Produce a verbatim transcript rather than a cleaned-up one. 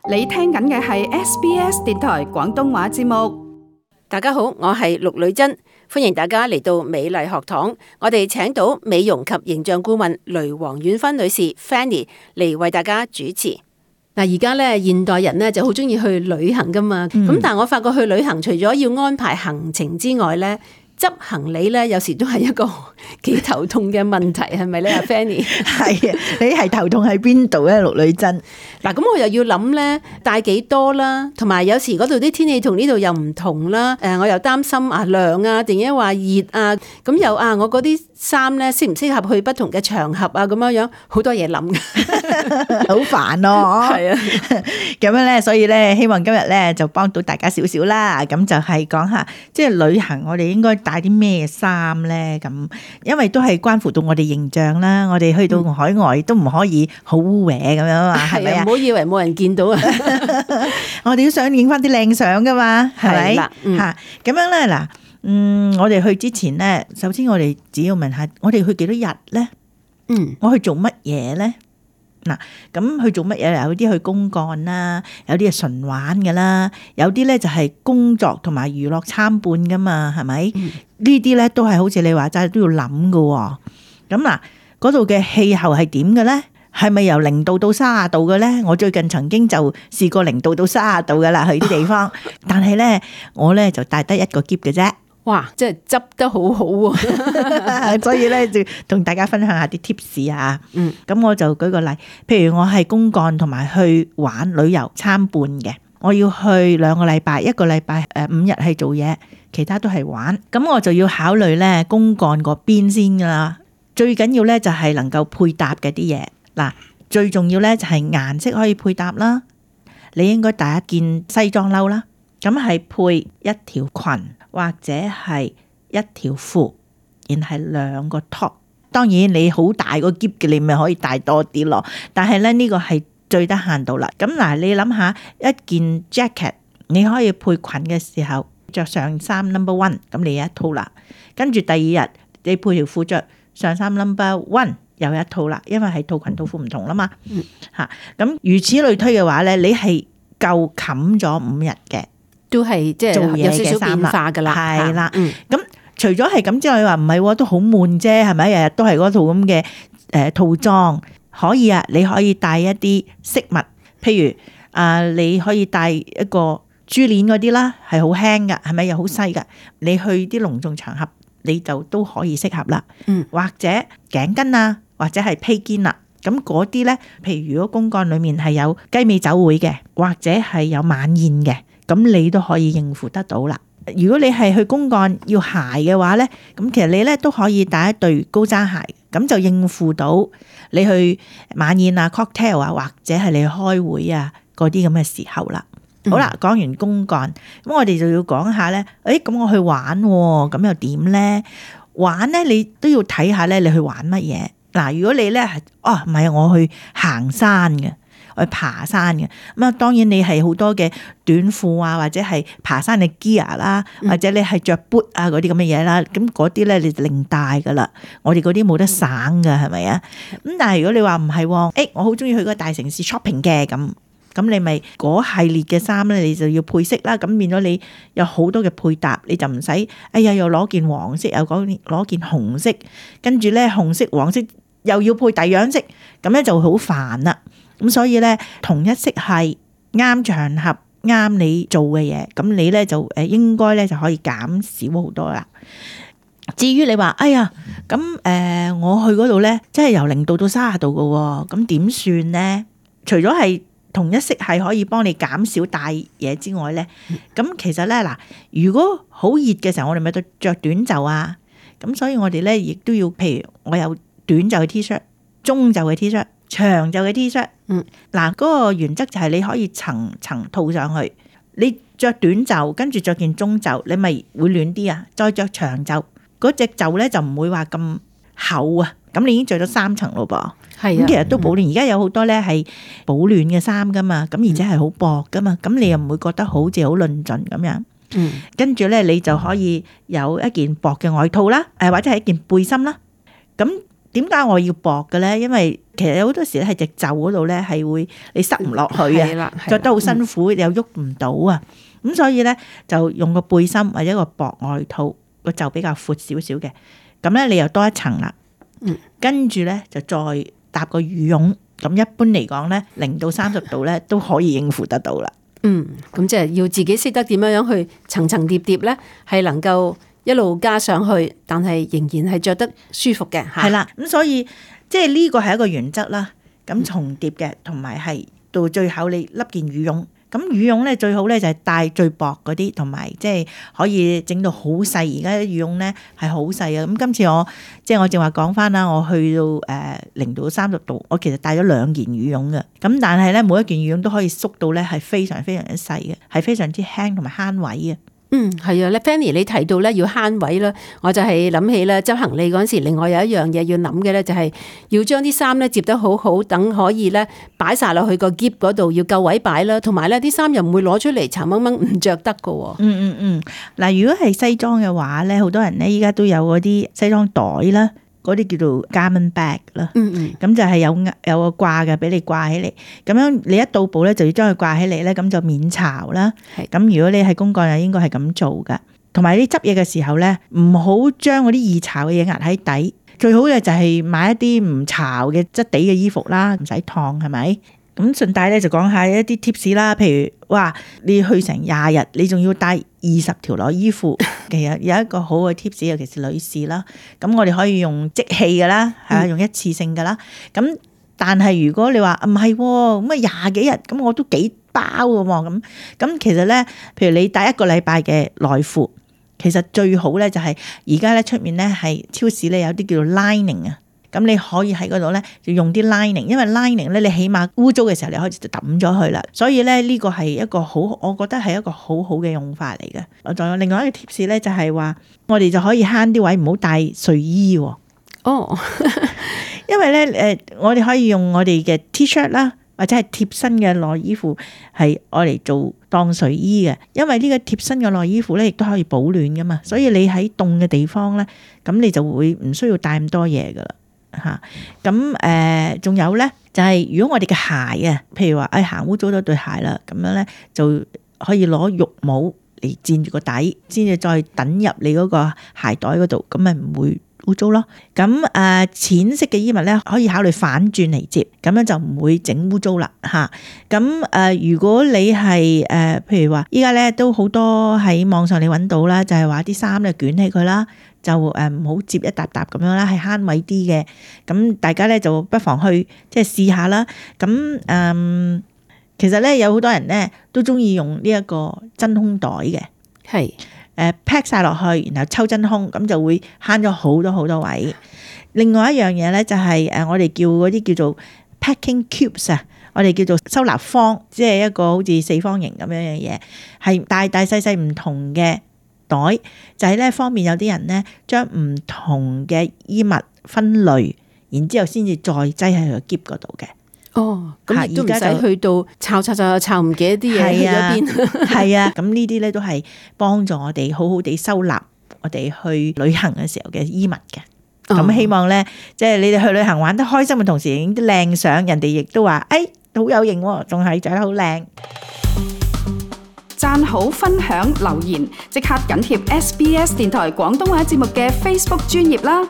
你聽緊嘅係 S B S 電台廣東話節目。大家好，我係陸女珍，歡迎大家嚟到美麗學堂。我哋請到美容及形象顧問雷黃婉芬女士 Fanny 嚟為大家主持。嗱，而家咧現代人咧就好中意去旅行噶嘛，咁、嗯、但係我發覺去旅行除咗要安排行程之外咧，執行李咧有時都係一個幾頭痛嘅問題，係咪咧？阿 Fanny 係啊，你係頭痛喺邊度咧？陸女珍嗱，咁我又要諗咧帶幾多啦，同埋有，有時嗰度啲天氣同呢度又唔同啦。誒，我又擔心啊涼啊，定係話熱啊，咁又啊我嗰啲衫咧適唔適合去不同嘅場合啊？咁樣樣好多嘢諗嘅，好煩咯。係啊，咁樣咧，所以咧希望今日咧就幫到大家少少啦。咁就係講下，即係旅行我哋應該帶啲咩衫咧？咁因為都係關乎到我哋形象啦。我哋去到海外都唔可以好污穢咁樣嘛，係咪啊？唔好以為冇人見到啊！我哋都想影翻啲靚相噶嘛，係咪？吓咁、嗯、樣咧嗱，嗯，我哋去之前咧，首先我哋只要問下，我哋去幾多日咧？嗯，我去做乜嘢咧？嗱，咁去做乜嘢？有啲去公幹啦，有啲係純玩噶啦，有啲咧就係工作同埋娛樂參半噶嘛，係咪？嗯、呢啲咧都係好似你話齋都要諗噶。咁嗱，嗰度嘅氣候係點嘅咧？係咪由零度到三十度嘅咧？我最近曾經就試過零度到三十度嘅啦，去啲地方。但係咧，我咧就帶得一個篋嘅啫。哇！即係執得好好喎，所以咧就同大家分享下啲 tips 啊。嗯，咁我就舉個例，譬如我係公幹同埋去玩旅遊參半嘅，我要去兩個禮拜，一個禮拜誒五日係做嘢，其他都係玩。咁我就要考慮咧公幹嗰邊先噶啦。最緊要咧就係能夠配搭嘅啲嘢。嗱，最重要咧就係顏色可以配搭啦。你應該帶一件西裝褸啦，咁係配一條裙或者係一條褲，然係兩個 top。當然你好大個篋嘅，你咪可以帶多啲咯。但係咧呢個係最得閒到啦。咁嗱，你諗下一件 jacket， 你可以配裙嘅時候着上衫 number one， 咁你有一套啦。跟住第二日你配條褲着上衫 number one。有一套啦，因為係套裙套褲唔同啦嘛，吓咁、嗯、如此類推嘅話咧，你係夠冚咗五日嘅，都係即係做嘢嘅衫變化噶啦，係啦。咁、嗯、除咗係咁之外，你話唔係都好悶啫，係咪？日日都係嗰套咁嘅誒套裝，可以啊，你可以帶一啲飾物，譬如啊、呃，你可以帶一個珠鏈嗰啲啦，係好輕噶，係咪又好細噶？你去啲隆重場合，你就都可以適合啦。嗯，或者頸巾啊。或者係披肩啦，咁嗰啲咧，譬如如果公幹裏面係有雞尾酒會嘅，或者係有晚宴嘅，咁你都可以應付得到啦。如果你係去公幹要鞋嘅話咧，咁其實你咧都可以帶一對高踭鞋，咁就應付到你去晚宴啊、cocktail 啊，或者係你去開會啊嗰啲咁嘅時候啦。嗯、好啦，講完公幹，咁我哋就要講下咧，誒，咁我去玩，咁又點咧？玩咧，你都要睇下咧，你去玩乜嘢？嗱，如果你咧係哦唔係我去行山嘅，我去爬山嘅，咁啊當然你係好多嘅短褲啊，或者係爬山嘅 gear 啦，或者你係着 boot 啊嗰啲咁嘅嘢啦，咁嗰啲咧你就另帶噶啦。我哋嗰啲冇得省噶，係咪啊？咁但係如果你話唔係，誒、欸、我好中意去個大城市 shopping 嘅，咁咁你咪嗰系列嘅衫咧，你就要配色啦。咁變咗你有好多嘅配搭，你就唔使哎呀又攞件黃色，又攞攞件紅色，跟住咧紅色黃色。又要配第樣色，咁咧就好煩啦。咁所以咧，同一色係啱場合啱你做嘅嘢，咁你咧就誒應該咧就可以減少好多啦。至於你話，哎呀，咁誒、呃、我去嗰度咧，即係由零度到三十度嘅，咁點算咧？除咗係同一色係可以幫你減少帶嘢之外咧，咁其實咧嗱，如果好熱嘅時候，我哋咪都着短袖啊。咁所以我哋咧亦都要，譬如我有短袖嘅 T 恤、中袖嘅 T 恤、長袖嘅 T 恤，嗯，嗱，嗰個原則就係你可以層層套上去。你着短袖，跟住着件中袖，你咪會暖啲啊。再着長袖，嗰隻袖咧就唔會話咁厚啊。咁你已經着咗三層咯噃。係啊，咁其實都保暖。而家有好多咧係保暖嘅衫噶嘛，咁而且係好薄噶嘛，咁你又唔會覺得好似好論盡咁樣。嗯，跟住咧你就可以有一件薄嘅外套啦，誒或者係一件背心啦。咁點解我要薄嘅咧？因為其實有好多時咧係隻袖嗰度咧係會你塞唔落去啊，着得好辛苦，又喐唔到啊。咁所以咧就用個背心或者個薄外套，個袖比較闊少少嘅，咁咧你又多一層啦。嗯，跟住咧就再搭個羽絨，咁一般嚟講咧零到三十度咧都可以應付得到啦。嗯，咁即係要自己識得點樣樣去層層疊疊咧，係能夠一路加上去，但係仍然係着得舒服嘅。係啦，咁所以即係呢個係一個原則啦。咁重疊嘅，同埋係到最後你笠件羽絨。咁羽絨咧最好咧就係帶最薄嗰啲，同埋即係可以整到好細。而家啲羽絨咧係好細啊！咁今次我即係我正話講翻啦，我去到誒零到三十度，我其實帶咗兩件羽絨嘅。咁但係咧每一件羽絨都可以縮到咧係非常非常之細嘅，係非常之輕同埋慳位嘅。嗯，係啊，咧 Fanny 你提到咧要慳位啦，我就係諗起咧執行李嗰陣時，另外有一樣嘢要諗嘅咧，就係要將啲衫咧摺得好好，等可以咧擺晒落去個篋嗰度，要夠位擺啦，同埋咧啲衫又唔會攞出嚟殘掹掹唔着得噶。嗯嗯嗯，嗱，如果係西裝嘅話咧，好多人咧依家都有嗰啲西裝袋啦。嗰啲叫做 garment bag 啦，嗯嗯，咁就係有有個掛嘅，俾你掛起嚟。咁樣你一到步咧，就要將佢掛起嚟咧，咁就免潮啦。咁如果你係公幹，又應該係咁做噶。同埋你執嘢嘅時候咧，唔好將嗰啲易潮嘅嘢壓喺底。最好嘅就係買一啲唔潮嘅質地嘅衣服啦，唔使燙，係咪？咁順帶咧就講下一啲 tips 啦，譬如哇，你去成廿日，你仲要帶二十條內衣褲，其實有一個好嘅 tips，尤其是女士啦。咁我哋可以用即棄嘅啦，係啊，用一次性嘅啦。咁但係如果你話唔係咁啊廿幾日，咁我都幾包嘅喎。咁咁其實咧，譬如你帶一個禮拜嘅內褲，其實最好咧就係而家咧出面咧係超市咧有啲叫做 lining 啊。咁你可以喺嗰度咧，就用啲 lining， 因為 lining 咧，你起碼污糟嘅時候，你開始就抌咗佢啦。所以咧，呢個係一個好，我覺得係一個好好嘅用法嚟嘅。我仲有另外一個 tips 咧，就係話我哋就可以慳啲位，唔好帶睡衣喎。哦，因為咧，誒，我哋可以用我哋嘅 T-shirt 啦，或者係貼身嘅內衣褲，係愛嚟做當睡衣嘅。因為呢個貼身嘅內衣褲咧，亦都可以保暖噶嘛。所以你喺凍嘅地方咧，咁你就會唔需要帶咁多嘢噶啦。吓，咁誒，仲有咧，就係如果我哋嘅鞋啊，譬如話誒行污糟咗對鞋啦，咁樣咧就可以攞浴帽嚟墊住個底，先至再等入你嗰個鞋袋嗰度，咁咪唔會污糟咯。咁誒，淺色嘅衣物咧可以考慮反轉嚟摺，咁樣就唔會整污糟啦。吓，咁誒，如果你係誒，譬如話依家咧都好多喺網上你揾到啦，就係話啲衫咧捲起佢啦。就誒唔好摺一沓沓咁樣啦，係慳位啲嘅。咁大家咧就不妨去即係試下啦。咁誒、嗯，其實咧有好多人咧都中意用呢一個真空袋嘅，係誒 pack 晒落去，然後抽真空，咁就會慳咗好多好多位。另外一樣嘢咧就係誒我哋叫嗰啲叫做 packing cubes 啊，我哋叫做收納方，即係一個好似四方形咁樣嘅嘢，係大大細細唔同嘅袋，就係咧方便有啲人咧將唔同嘅衣物分類，然之後先至再擠喺個篋嗰度嘅。哦，咁亦都唔使去到抄抄抄抄唔記得啲嘢去咗邊。係啊，咁呢啲咧都係幫助我哋好好地收納我哋去旅行嘅時候嘅衣物嘅。咁、哦、希望咧，即係你哋去旅行玩得開心嘅同時，影啲靚相，人哋亦都話，誒，好有型喎，仲係着得好靚。讚好、分享、留言，即刻緊貼 S B S 電台廣東話節目嘅 Facebook 專頁啦！